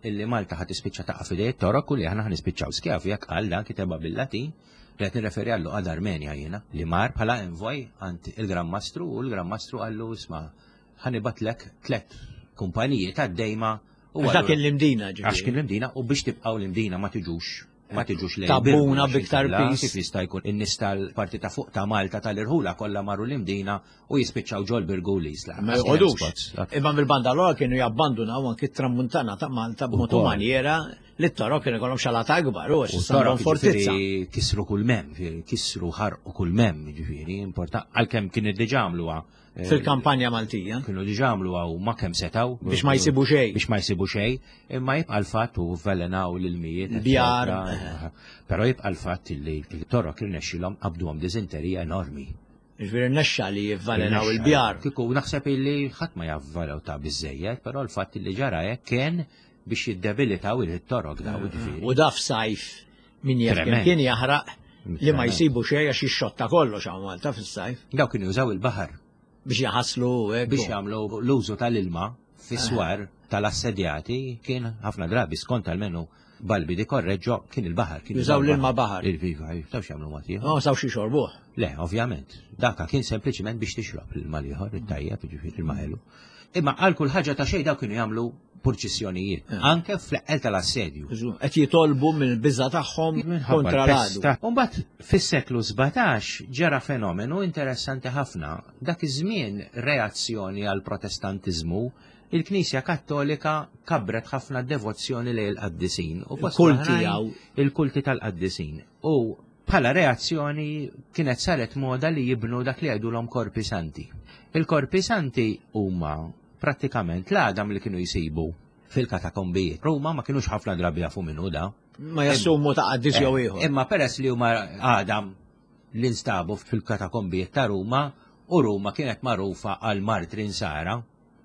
illi Malta ħa tispiċċa taqa' f'idej it-Torok u li aħna ħa nispiċċaw skjavi jekk qal dan kitebha bil-Latin li qed nirreferi għal Luqa d'Armenja jiena li mar bħala envoy għand il-Gran Mastru u l-Gran Mastru qallu isma' ħa nibgħatlek tlett kumpaniji tad-dejma u Għax dak kien l-Imdina ġifieri. Għax kien l-Imdina u biex tibqgħu l-Imdina ma tiġux ma tiġux lejn Tabuna biktar pis. Kif jista' jkun in-nies tal-parti ta' fuq ta' Malta tal-irħula kollha marru l-Imdina u jispiċċaw ġol Birgu l-Isla. Ma joqogħdux. Imma mill-banda l kienu jabbandunaw anki t-tramuntana ta' Malta b'mod u maniera li t-torok kienu jkollhom xalata akbar u għax fortizza. Kisru kull mem, kisru ħarqu kull mem, ġifieri, importanti għalkemm kien diġà għamluha Eh, Fil-kampanja Maltija. Kienu diġà għamlu għaw ma kemm setaw. Biex ma jsibu xejn. Biex ma jsibu xejn, imma jibqa' l-fatt u velenaw l-ilmijiet. Bjar. Eh, però jibqa' l-fatt li t-torok irnexxilhom qabduhom diżenterija enormi. Ġifieri nexxa li jivvalenaw il-bjar. Kieku naħseb illi ħadd ma javvalew ta' biżejjed, però l-fatt li ġara hekk kien biex jiddebilitaw il-torok daw eh, ġifieri. U daf sajf min jaf kien jaħraq. Li ma jsibu xejn għax jixxotta kollox hawn Malta fis-sajf. Daw kienu jużaw il-baħar. Biex jaħaslu hekk. Biex jagħmlu l-użu tal-ilma fis-swar tal-assedjati kien ħafna drabi skont almenu Balbi di Correggio kien il-baħar. Kien jużaw l-ilma baħar. Il-viva, jistgħux jagħmlu mod ieħor. Ma sawx jixorbuh. Le, ovvjament. Daka kien sempliċiment biex tixrob l-ilma l-ieħor, it-tajjeb, ġifieri l-ilma ħelu. Imma għal kull ħaġa ta' xejn daw kienu jagħmlu purċissjonijiet, eh. anke fl-eqqel tal-assedju. Qed jitolbu mill-biża tagħhom kontra l-għadu. Umbagħad fis-seklu 17 ġara fenomenu interessanti ħafna. Dak iż-żmien reazzjoni għal protestantiżmu il-Knisja Kattolika kabret ħafna devozzjoni lejn il-qaddisin u kulti il-kulti tal-qaddisin. U bħala reazzjoni kienet saret moda li jibnu dak li jgħidulhom korpi santi. Il-korpi santi huma prattikament l-għadam li kienu jsibu fil-katakombijiet. Ruma ma kienux ħafna drabi jafu minnu da. Ma jassumu ta' qaddis jew eh, ieħor. Imma peress li huma għadam li nstabu fil-katakombijiet ta' Ruma u Ruma kienet magħrufa għal martri nsara,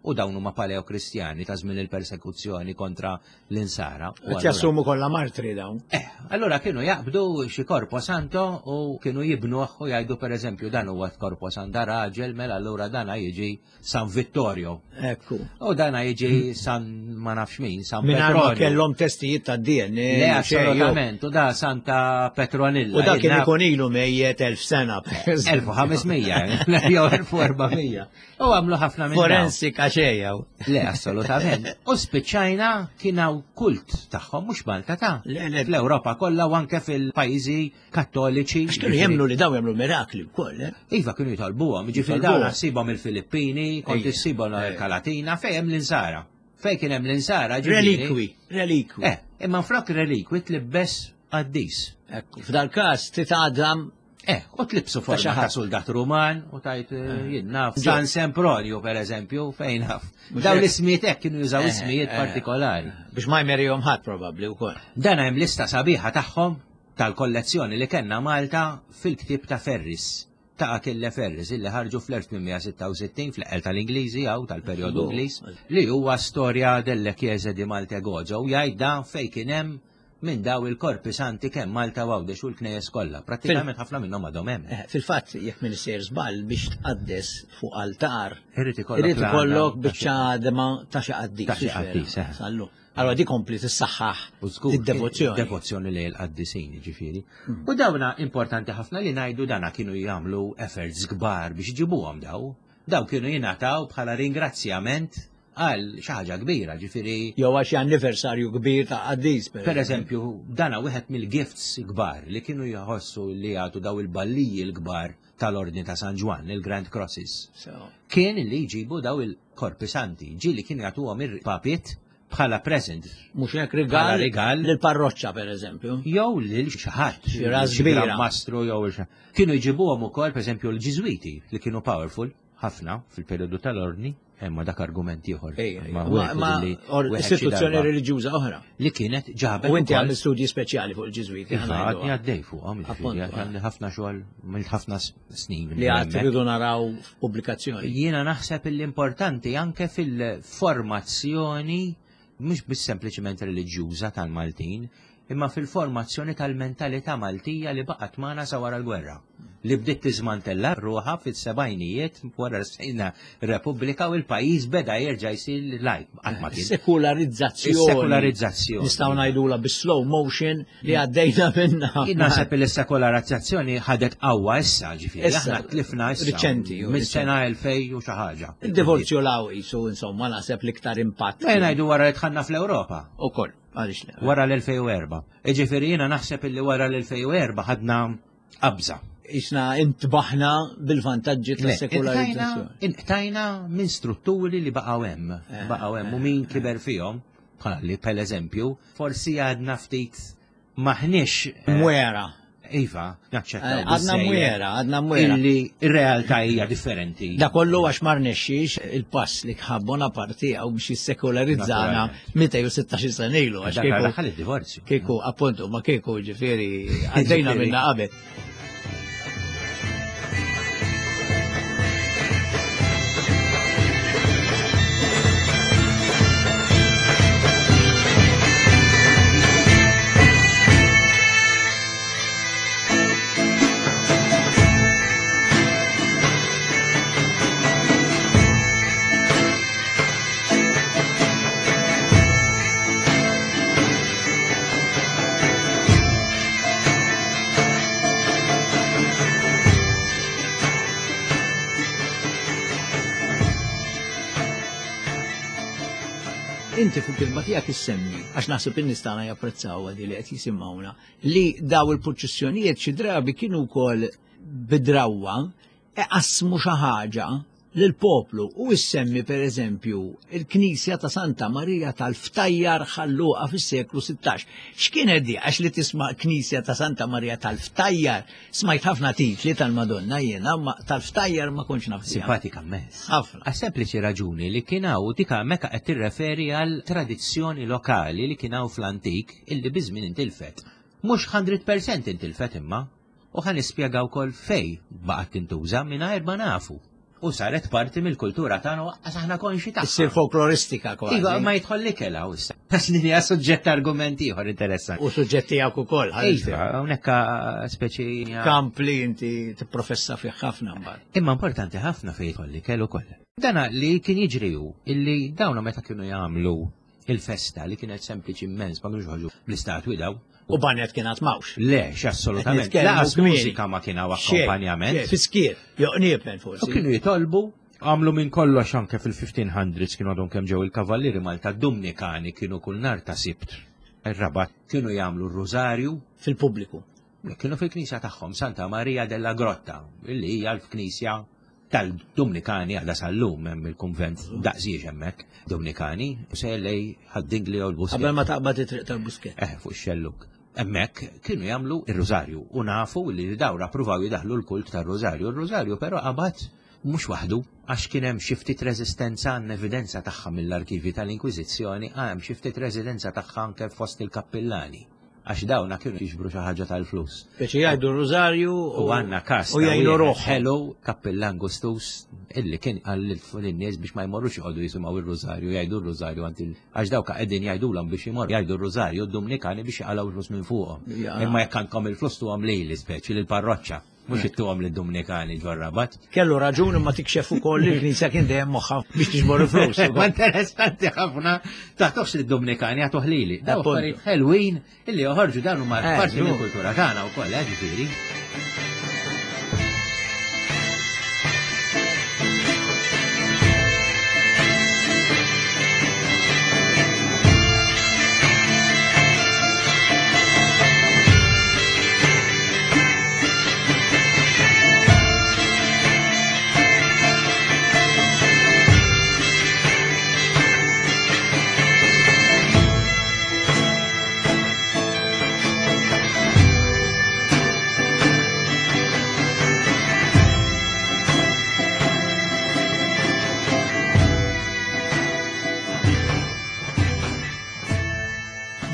u dawn huma paleokristjani ta' żmien il-persekuzzjoni kontra l-insara. Qed jassumu kollha martri dawn. Eh, allura kienu jaqbdu xi korpo santo u kienu jibnuh u jgħidu pereżempju dan huwa korpo santa raġel mela allura dana jiġi San Vittorio. Ekku. U dana jiġi San ma nafx min, San Mingħajr ma kellhom testijiet ta' DNA. Le, assolutament, u da Santa Petronilla. U da kien ikun ilu mejjet elf sena. 1500, jew 1400. U għamlu ħafna minn. Forensika xejjaw. Le, assolutament. U spiċċajna kien hawn kult tagħhom mhux Malta ta' l-Ewropa kollha u anke fil-pajjiżi kattoliċi. Għax kienu jemmnu li daw jagħmlu mirakli wkoll, eh? Iva kienu jitolbuhom, jiġifieri dawn ssibhom il-Filippini, kont issibhom l-Amerika Latina, fejn hemm l-insara. Fejn kien hemm l-insara Relikwi, relikwi. Eh, imma flok relikwi tlibbes qaddis. Ekku, f'dal każ titgħadam Eh, u tlibsu forma ta' soldat Ruman u tajt eh, eh. jien naf. San Sempronio, per eżempju, fejn naf. Daw l-ismijiet hekk kienu jużaw eh, ismijiet partikolari. Biex ma jmerihom ħadd probabbli wkoll. Dan hemm lista sabiħa tagħhom tal-kollezzjoni li kellna Malta fil-ktieb ta' Ferris ta' Achille Ferris illi ħarġu fl-1866 fl-eqel tal-Ingliżi jew tal-perjodu Ingliż li huwa storja delle Chiese di Malte Gozo u jgħid dan fejn kien hemm minn daw il-korpi santi kemm Malta u Għawdex u l-knejjes kollha. Prattikament ħafna minnhom għadhom hemm. Eh, fil-fatt, jekk minn sejr żball biex tqaddes fuq altar, irid ikollok biċċa għadma ta' xi qaddis. Ta' xi qaddis, eh. Sallu. Allora di kompli tissaħħaħ id-devozzjoni. Devozzjoni lejn il-qaddisin, ġifieri. Hmm. U dawna importanti ħafna li ngħidu dana kienu jagħmlu efforts kbar biex iġibuhom daw. Daw kienu jingħataw bħala ringrazzjament għal xi ħaġa kbira, ġifieri. Jew għal xi anniversarju kbir ta' qaddis. Per eżempju, dana wieħed mill-gifts kbar li kienu jħossu li jagħtu daw il-balliji l-kbar tal-Ordni ta' San Ġwann, il-Grand Crosses. Kien li jġibu daw il-korpi santi, ġieli kienu jagħtuhom il-papiet bħala present. Mhux hekk rigal, rigal lill-parroċċa pereżempju. Jew lil xi ħadd, xi ras kbira. Mastru jew Kienu jġibuhom ukoll pereżempju l-Ġiżwiti li kienu powerful ħafna fil-perjodu tal-ordni, imma dak argument ieħor. Ma istituzzjoni reliġjuża oħra. Li kienet ġabet. U inti għamil studji speċjali fuq il-Ġiżwiti. Iva, għadni għaddej fuqhom, għandi ħafna xogħol mill ħafna snin. Li għad tridu naraw f'pubblikazzjoni. Jiena naħseb l-importanti anke fil-formazzjoni mhux biss sempliċement reliġjuża tal-Maltin, imma fil-formazzjoni tal-mentalità Maltija li baqgħet magħna sa wara l-gwerra, li bdiet tiżmantella ruħha fis-sebgħinijiet wara sejna Repubblika u l-pajjiż beda jerġa' jsir lajk. Qatt ma kien. Sekularizzazzjoni. Sekularizzazzjoni. Nistgħu ngħidula bi slow motion li għaddejna minna. Jien naħseb li s-sekularizzazzjoni ħadet qawwa issa, ġifieri. Aħna tlifna issa. Riċenti. Mis-sena 2000 u xi ħaġa. Il-divorzju law qisu insomma naħseb l-iktar impatt. Ejja ngħidu wara li dħalna fl-Ewropa. Ukoll. Għaliex le? Wara l-2004. Iġifieri jiena naħseb illi wara l-2004 ħadna qabża. Isna intbaħna bil-vantaġġi tas-sekularizzazzjoni. Inqtajna minn strutturi li baqgħu hemm, eh, baqgħu hemm u min eh, kiber fihom, bħalli per eżempju, forsi għadna ftit maħniex eh, mwera. Iva, naċċettaw. Eh, għadna mwera, għadna mwera. Illi r-realtà hija differenti. Da kollu għax ma rnexxix il-pass li kħab Bonaparte għaw biex jissekularizzana 216 sena ilu. Għax kieku. Daħal id-divorzju. Kieku, appuntu, ma kieku ġifieri għaddejna minna qabel. inti fil-kitba tiegħek issemmi, għax naħseb in-nies tagħna japprezzawha di li qed jisimgħuna, li daw il-purċissjonijiet xi drabi kienu wkoll bidrawwa iqassmu xi ħaġa lill-poplu u issemmi pereżempju il-Knisja ta' Santa Marija tal-Ftajjar Ħal Luqa fis-seklu 16. X'kienet di? Għax li tisma' Knisja ta' Santa Marija tal-Ftajjar, smajt ħafna titli tal-Madonna jiena, ma tal-Ftajjar ma kontx naf. Simpatika mmens. Ħafna. Għas sempliċi raġuni li kien hawn dik hemmhekk qed tirreferi għal tradizzjoni lokali li kien hawn fl-antik illi biż-żmien intilfet. Mhux 100% intilfet imma. U ħa nispjega wkoll fejn baqgħet tintuża mingħajr ma nafu. U saret parti mill-kultura tagħna waqqas aħna konxi tagħha. Issir folkloristika kważi. Iva, ma jidħol l-ikel hawn issa. Għax din hija suġġett argument ieħor interessanti. U suġġett tiegħek ukoll. Iva, hawnhekk speċi. Kamp li inti tipprofessa fih ħafna mbagħad. Imma importanti ħafna fejn jidħol l-ikel ukoll. Dana li kien jiġri hu illi dawna meta kienu jagħmlu il-festa li kienet sempliċi immens, ma kienux joħorġu bl-istatwi daw. U banjet kien għad mawx. Le, assolutament. Laqas mużika ma kien hawn akkompanjament. Fiskier, joqniepen forsi. U kienu jitolbu għamlu minn kollox anke fil-1500s kienu għadhom kemm ġew il-kavallieri Malta Dumnikani kienu kull nar ta' Sibt. Ir-Rabat kienu jagħmlu r-rużarju. Fil-pubbliku. Kienu fil-knisja tagħhom Santa Maria della Grotta, illi hija l-knisja tal-Dumnikani għadha sal-lum hemm il-kunvent daqsiex hemmhekk Dumnikani u se lej ħad-dingli jew l-Buskett. Qabel ma taqbad it-triq tal-Buskett. Eh, fuq ix-xellug. Hemmhekk kienu jagħmlu ir-rużarju u nafu li dawra pruvaw jidaħlu l-kult tar-rużarju. Ir-rużarju però qabad mhux waħdu għax kien hemm xi ftit reżistenza għandna evidenza tagħha mill-arkivi tal-Inkwiżizzjoni hemm xi ftit reżidenza tagħha anke fost il-kappillani. Għax dawna kienu jiġbru xi ħaġa tal-flus. Speċi jgħidu r-rużarju u għandna każ u jgħinu ruħ. Ħelu kappillan gustus illi kien qal lin-nies biex ma jmorrux joqogħdu jisimgħu r-rużarju, jgħidu r-rużarju għand il għax dawk qegħdin jgħidulhom biex imorru jgħidu r-rużarju d-Dumnikani biex jaqalgħu l-flus minn fuqhom. Imma jekk għandkom il-flus tuhom lili speċi lill-parroċċa. Mhux ittuhom lid-Dumnikani ġor-Rabat. Kellu raġun imma tikxef ukoll li l-Knisja kien dejjem moħħha biex tiġbor il-flus. Ma interessanti ħafna taħtux lid-Dumnikani għatuh lili. Daw affarijiet ħelwin illi joħorġu dan huma eh, parti mill-kultura tagħna wkoll, eh, ġifieri.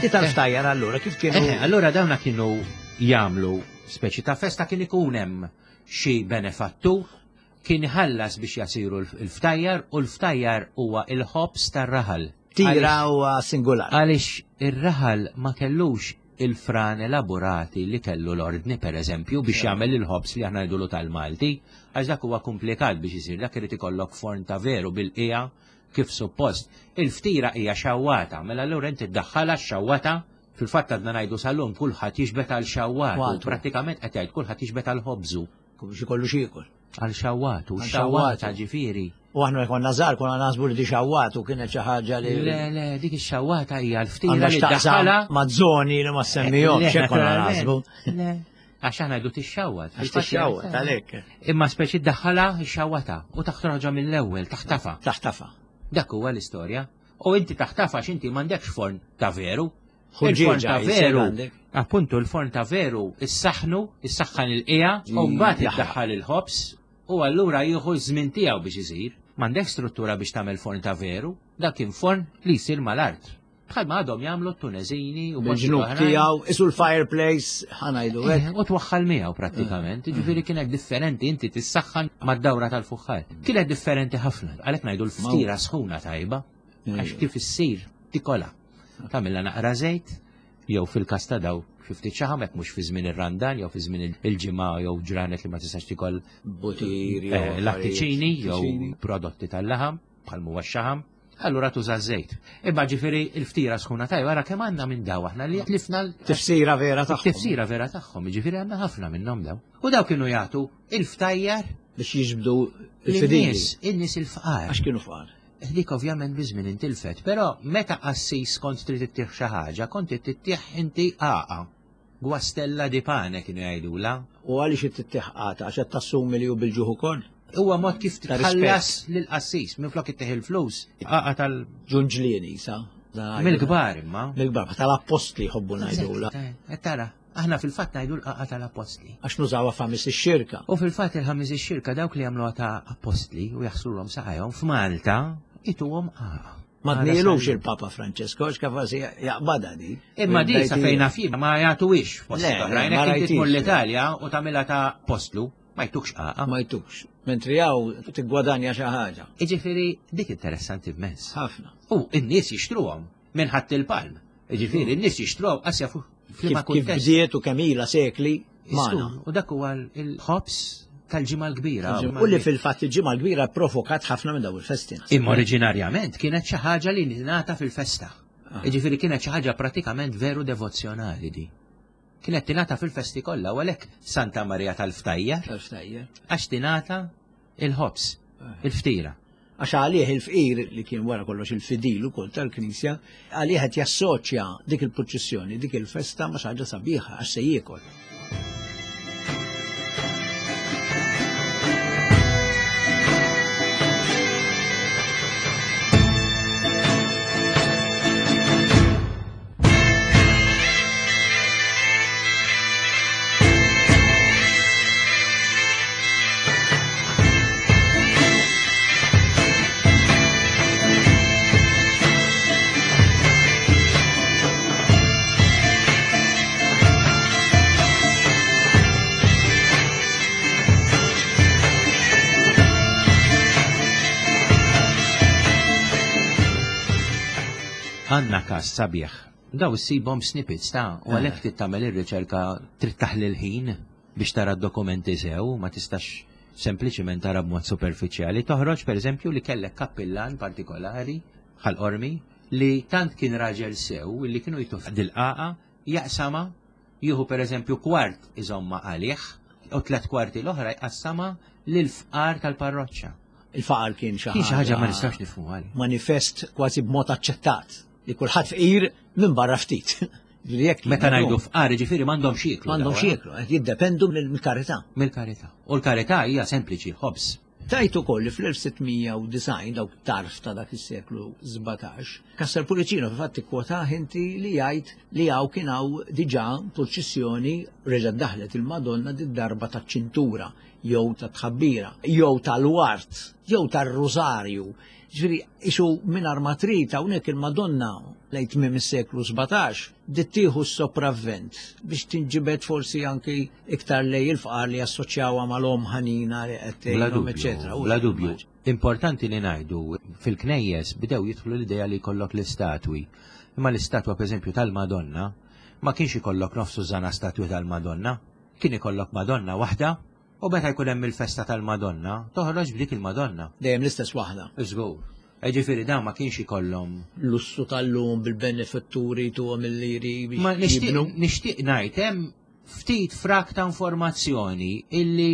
Di tal-ftajjar allura kif kienu? Eh, allura dawna kienu jagħmlu speċi ta' festa kien ikun hemm xi benefattur kien iħallas biex jasiru l-ftajjar u l-ftajjar huwa il-ħobż tar-raħal. Tira huwa singular. Għaliex ir-raħal ma kellux il-fran elaborati li kellu l-ordni per eżempju biex jagħmel il-ħobż li aħna ngħidulu tal-Malti, għax dak huwa komplikat biex isir, dak irid ikollok forn ta' veru bil-qija kif suppost. Il-ftira hija xawwata, mela allura inti ddaħħalha x-xawwata Fil-fatt għadna ngħidu sal-lum kulħadd jiġbed għal xawwatu, prattikament qed jgħid kulħadd jiġbed għal ħobżu. Biex ikollu x'jiekol. Għal xawwatu, xawwata ġifieri. U aħna konna żgħar konna naħsbu li di xawwatu kienet xi ħaġa li. Le, le, dik ix-xawwata hija l-ftira li daħħalha ma' żoni li ma semmihomx hekk konna naħsbu. Le, għax aħna ngħidu tixxawwat. Għax tixxawwat għalhekk. Imma speċi ddaħħalha x-xawwata u taħroġha mill-ewwel, taħtafa. Taħtafa. Dak huwa l-istorja. U inti taħtaf għax inti m'għandekx forn ta' veru. Il-forn ta' veru. Appuntu l-forn ta' veru issaħnu, issaħħan il-qija, u mbagħad iddaħħal il-ħobż u allura jieħu ż-żmien tiegħu biex isir. M'għandekx struttura biex tagħmel forn ta' veru, dak kien forn li jsir mal-art. Bħalma għadhom jagħmlu t-Tuneżini u bil-ġnub tiegħu, isu l-fireplace, ħanajdu hekk. Eh, u twaħħal miegħu prattikament, eh. ġifieri kienet differenti inti tissaħħan mad-dawra tal-fuħħar. Kienet differenti ħafna, għalhekk ngħidu l-ftira sħuna tajba, għax kif issir tikola. Tagħmilha naqra żejt, jew fil-każ ta' daw xi ftit xaħam hekk mhux fi żmien ir-Randan jew fi żmien il-ġimgħa jew ġranet li ma tistax tikol butir eh, lattiċini jew prodotti tal-laħam bħal huwa x-xaħam. Allura tuża żejt. Imma ġifieri l-ftira sħuna tajba ara kemm għandna minn daw aħna li tlifna tifsira vera tagħhom. Tifsira vera tagħhom, ġifieri għandna ħafna minnhom daw. U daw kienu jagħtu il-ftajjar biex jiġbdu il-fidili. In-nies il-fqar. Għax kienu fqar. Dik ovvjament biż-żmien intilfet, però meta qassis kont trid ittih xi ħaġa, kont ittih inti għaqa. Guastella di pane kienu jgħidulha. U għaliex ittih għata? Għax qed tassumi li hu bil-ġuħ ukoll? Huwa mod kif tħallas lill-qassis minflok ittih il-flus, għaqa tal Ġunġlieni sa. Mill-kbar imma. Mill-kbar, tal-appostli jħobbu ngħidulha. Qed tara. Aħna fil-fatt ngħidu l-qagħqa tal-appostli. Għax nużawha f'Ħamis ix-Xirka. U fil-fatt il-Ħamis ix-Xirka dawk li jagħmluha ta' appostli u jaħslulhom saqajhom f'Malta ituhom qagħqa. Ma tnielux il-Papa Francesco għax kapaċi jaqbadha di. Imma di sa fejn naf jien ma jagħtuhiex fost oħrajn. Jekk inti tmur l-Italja u tagħmilha ta' apostlu, ma jtukx qagħqa. Ma jtukx. Mentri hawn tiggwadanja xi ħaġa. Jiġifieri dik interessanti immens. Ħafna. U n-nies jixtruhom. Minn ħadd il-palm. Ġifieri n-nies jixtruha qas jafu f'liema kuntest. Kif bdiet u kemm ilha sekli magħna. U dak huwa l-ħobż tal-ġimgħa l-kbira. U li fil-fatt il-ġimgħa l-kbira provokat ħafna minn dawn il-festi. Imma oriġinarjament kienet xi ħaġa li tingħata fil-festa. Ah. Jiġifieri kienet xi ħaġa pratikament veru devozzjonali di. Kienet tingħata fil-festi kollha u għalhekk Santa Marija tal-Ftajjar. Tal-Ftajjar. Għax tingħata il-ħobż, ah. il-ftira. Għax għalih il-fqir li kien wara kollox il-fidil ukoll tal-Knisja, għalih qed jassoċja dik il-purċissjoni, dik il-festa ma' xi ħaġa sabiħa għax se jiekol. Għanna kas sabiħ. Daw issibhom snippets ta' u għalhekk trid tagħmel ir-riċerka trid taħli l-ħin biex tara d-dokumenti sew, ma tistax sempliċiment tara b'mod superfiċjali. Toħroġ pereżempju li kellek kappillan partikolari Ħal Qormi li tant kien raġel sew li kienu jtuh dil-qagħqa jaqsamha, jieħu pereżempju kwart iżommha għalih u tliet kwarti l-oħra jqassamha lill-fqar tal-parroċċa. Il-faqar kien xi ħaġa. Kien xi ħaġa ma nistax nifhmuha. Manifest kważi b'mod aċċettat li kulħadd fqir minn barra ftit. Meta ngħidu fqar, ġifieri m'għandhomx jieklu. M'għandhomx jieklu, qed jiddependu mill-karità. Mill-karità. U l-karità hija sempliċi, ħobż. Tajt ukoll li fl-1690 dawk tarf ta' dak is-seklu 17, Castel Pullicino fil-fatt ikkwotah inti li jgħid li hawn kien hawn diġà purċissjoni reġgħet daħlet il-Madonna did-darba taċ-ċintura jew tat-tħabbira jew tal-ward jew tar-rużarju. Ġifieri isu mingħajr ma trid hawnhekk il-Madonna lejn tmiem is-seklu 17 bdiet tieħu s-sopravvent biex tinġibed forsi anki iktar lejn il-fqar li jassoċjawha mal-omm ħanina li qed tgħinhom, eċetera. Bla dubju. Importanti li ngħidu fil-knejjes bdew jidħlu l-idea li jkollok l-istatwi. Imma l-istatwa pereżempju tal-Madonna ma kienx ikollok nofs tużżana statwi tal-Madonna, kien ikollok Madonna waħda U meta jkun hemm il-festa tal-Madonna, toħroġ b'dik il-Madonna. Dejjem l-istess waħda. Żgur. Jiġifieri dawn ma kienx ikollhom. Lussu tal-lum bil-benefatturi jtuhom il-liri biex. Ma nixtieq nixtieq ngħid hemm ftit frak ta' informazzjoni illi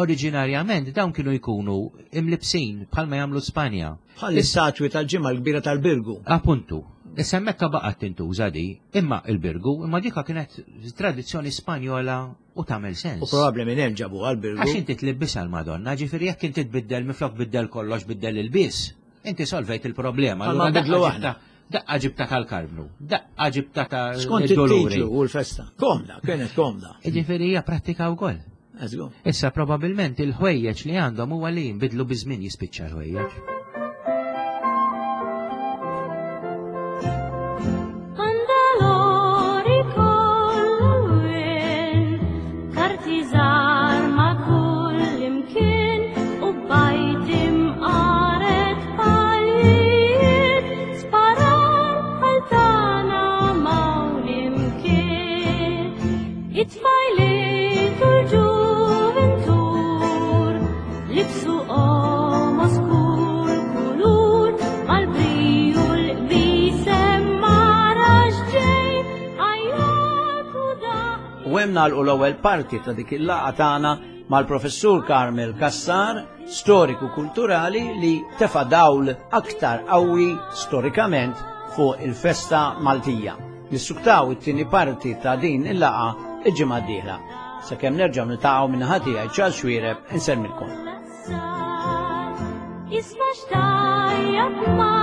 oriġinarjament dawn kienu jkunu imlibsin bħalma jagħmlu Spanja. Bħal l-istatwi tal-ġimgħa l-kbira tal-Birgu. Appuntu. Issa hemmhekk baqgħet tintuża di, imma il-Birgu, imma dika kienet tradizzjoni Spanjola U tagħmel sens. U probabbli minn hemm ġabu għal-Birgu. Għax inti tlibbisha l-Madonna, ġifieri jekk inti tbiddel minflok biddel kollox biddel il-biss, inti solvejt il-problema. Allura bidlu aħna. Daqqa ġibta tal-Karmnu, daqqa ġibta ta' Skont it-titlu u l-festa. Komda, kienet komda. Ġifieri hija prattika wkoll. Issa probabilment il-ħwejjeġ li għandhom huwa li jinbidlu biż-żmien jispiċċa l-ħwejjeġ. It-tfajliet u l-ġuvintur libsu qomos kull kulur mal-briju l-qbisem ma rax ġej għajjat u daq. U hemm nagħlqu l-ewwel parti ta' dik il-laqgħa tagħna. mal-Professur Carmel Cassar, storiku kulturali li tefa' dawl aktar qawwi storikament fuq il-festa Maltija. Nissuktaw it-tieni parti ta' din il-laqgħa il-ġimgħa d-dieħla. Sakemm nerġgħu niltaqgħu minn tiegħi Charles Xuereb insellmilkom. Isma' xtajjat ma'